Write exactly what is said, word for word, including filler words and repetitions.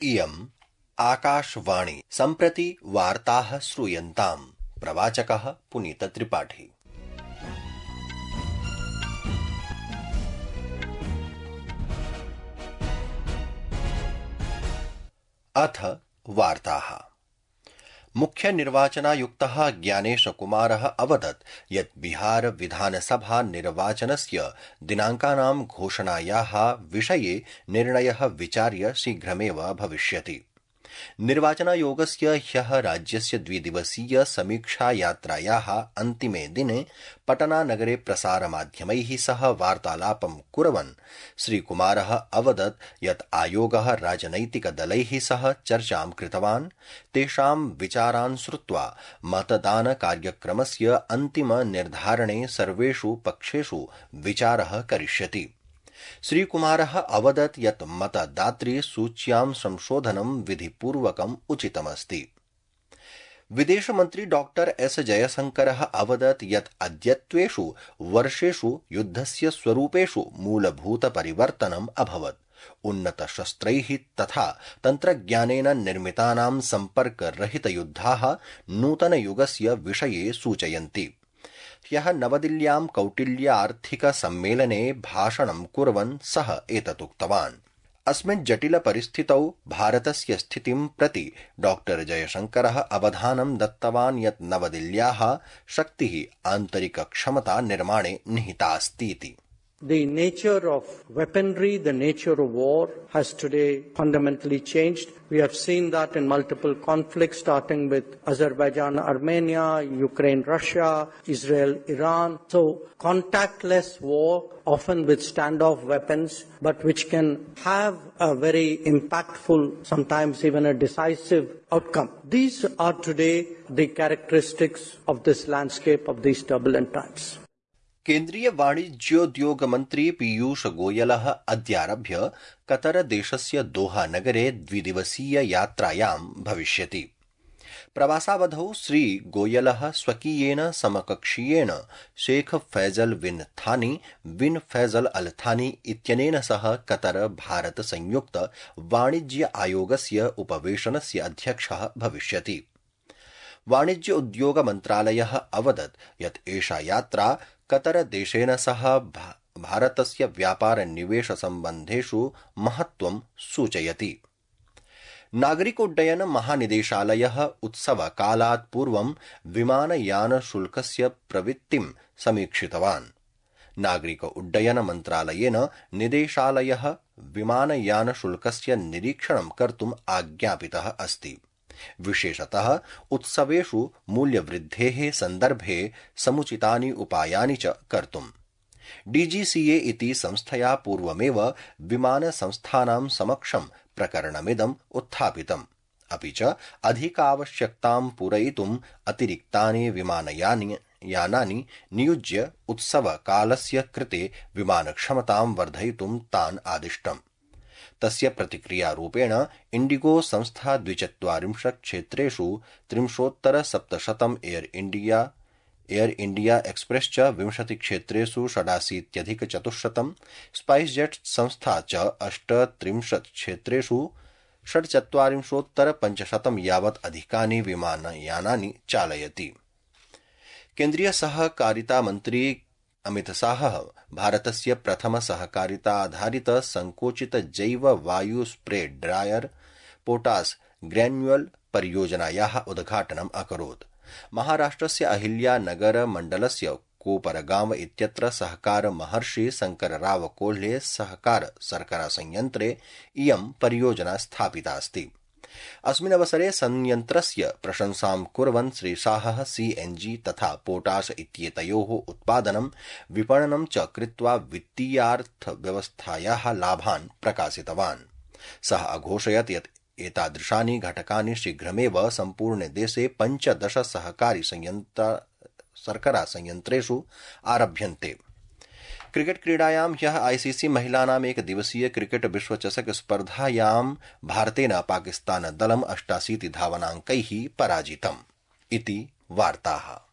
इयम् आकाशवाणी सम्प्रति वार्ताः श्रूयन्ताम्। प्रवाचकः पुनीत त्रिपाठी। अथ वार्ताः। मुख्य निर्वाचनायुक्तः ज्ञानेश कुमारः अवदत् यत् बिहार विधानसभा निर्वाचनस्य दिनाङ्कानां घोषणायाः विषये निर्णयः विचार्य शीघ्रमेव भविष्यति। निर्वाचनायोगस्य ह्यः राज्यस्य द्विदिवसीय समीक्षा यात्रायाः अन्तिमे दिने पटनानगरे प्रसारमाध्यमैः सह वार्तालापं कुर्वन् श्रीकुमारः अवदत् यत् आयोगः राजनैतिकदलैः सह चर्चां कृतवान्, तेषां विचारान् श्रुत्वा मतदानकार्यक्रमस्य अन्तिम निर्धारणे सर्वेषु पक्षेषु विचारः करिष्यति। श्रीकुमारः अवदत् यत् मतदातृ सूच्यां संशोधनं विधिपूर्वकम् उचितमस्ति। विदेशमन्त्री डॉक्टर एस जयशंकरः अवदत् यत् अद्यत्वेषु वर्षेषु युद्धस्य स्वरूपेषु मूलभूतपरिवर्तनम् अभवत्। उन्नतशस्त्रैः तथा तन्त्रज्ञानेन निर्मितानां सम्पर्करहितयुद्धाः नूतनयुगस्य विषये सूचयन्ति। ह्यः नवदिल्ल्यां कौटिल्य आर्थिक सम्मेलने भाषणं कुर्वन् सः एतदुक्तवान्। अस्मिन् जटिल परिस्थितौ भारतस्य स्थितिं प्रति डॉक्टर जयशंकरः अवधानं दत्तवान् यत् नवदिल्ल्याः शक्तिः आन्तरिकक्षमता निर्माणे निहितास्तीति। The nature of weaponry, the nature of war has today fundamentally changed. We have seen that in multiple conflicts, starting with Azerbaijan, Armenia, Ukraine, Russia, Israel, Iran. So, contactless war, often with standoff weapons, but which can have a very impactful, sometimes even a decisive outcome. These are today the characteristics of this landscape of these turbulent times. केन्द्रीय वाणिज्योद्योग मन्त्री Piyush गोयलः अद्यारभ्य Qatar देशस्य दोहा नगरे द्विदिवसीय यात्रायां भविष्यति। प्रवासावधौ श्री गोयलः स्वकीयेन समकक्षीयेन Sheikh Faizal bin थानी bin Faizal अल थानी इत्यनेन सह कतर भारत संयुक्त वाणिज्य आयोगस्य उपवेशनस्य अध्यक्षः भविष्यति। वाणिज्य उद्योग मन्त्रालयः अवदत् यत् एषा यात्रा कतर देशेन सह भारतस्य व्यापार निवेश सम्बन्धेषु महत्त्वं सूचयति। नागरिकोड्डयन महानिदेशालयः उत्सवकालात् पूर्वं विमानयान शुल्कस्य प्रवृत्तिं समीक्षितवान्। नागरिक उड्डयन मन्त्रालयेन निदेशालयः विमानयान शुल्कस्य निरीक्षणं कर्तुम् आज्ञापितः अस्ति। विशेषतः उत्सवेषु मूल्यवृद्धेः सन्दर्भे समुचितानि उपायानि च कर्तुम्। डीजीसीए इति संस्थया पूर्वमेव विमानसंस्थानां समक्षं प्रकरणमिदम् उत्थापितम्। अपि च अधिकावश्यकतां पूरयितुम् अतिरिक्तानि विमानयानि यानानि नियुज्य उत्सवकालस्य कृते विमानक्षमतां वर्धयितुं तान् आदिष्टम्। तस्य प्रतिक्रियारूपेण इंडिगो संस्था द्विचत्वारिंशत् क्षेत्रेषु त्रिंशोत्तर सप्तशतम् air India air India express च विंशति क्षेत्रेषु षडाशीत्यधिक चतुश्शतम्, स्पाइस जेट संस्था च अष्टत्रिंशत् क्षेत्रेषु षड्चत्वारिंशोत्तर पञ्चशतम् यावत् अधिकानि विमानयानानि चालयति। केन्द्रीय सहकारिता मन्त्री अमित शाहः भारतस्य प्रथम सहकारिता आधारित संकोचित जैव वायु स्प्रे ड्रायर पोटास ग्रैन्युअल परियोजनायाः उद्घाटनम् अकरोत्। महाराष्ट्रस्य अहिल्यानगर मण्डलस्य कोपरगांव इत्यत्र सहकार महर्षि शंकरराव कोल्हे सहकार शर्करा संयन्त्रे इयं परियोजना स्थापिता अस्ति। अस्मिन् अवसरे संयन्त्रस्य प्रशंसां कुर्वन् श्री शाहः सीएनजी तथा पोटाश इत्येतयोः उत्पादनं विपणनं च कृत्वा वित्तीयार्थव्यवस्थायाः लाभान् प्रकाशितवान्। सः अघोषयत् यत् एतादृशानि घटकानि शीघ्रमेव सम्पूर्णे देशे पञ्चदश सहकारी संयन्त्र शर्करा संयन्त्रेषु आरभ्यन्ते। क्रिकेट क्रीडायां ह्यः आईसीसी महिलानाम् एकदिवसीय क्रिकेट विश्वचषक स्पर्धायां भारतेन पाकिस्तान दलम् अष्टाशीति धावनाङ्कैः पराजितम्। इति वार्ताः।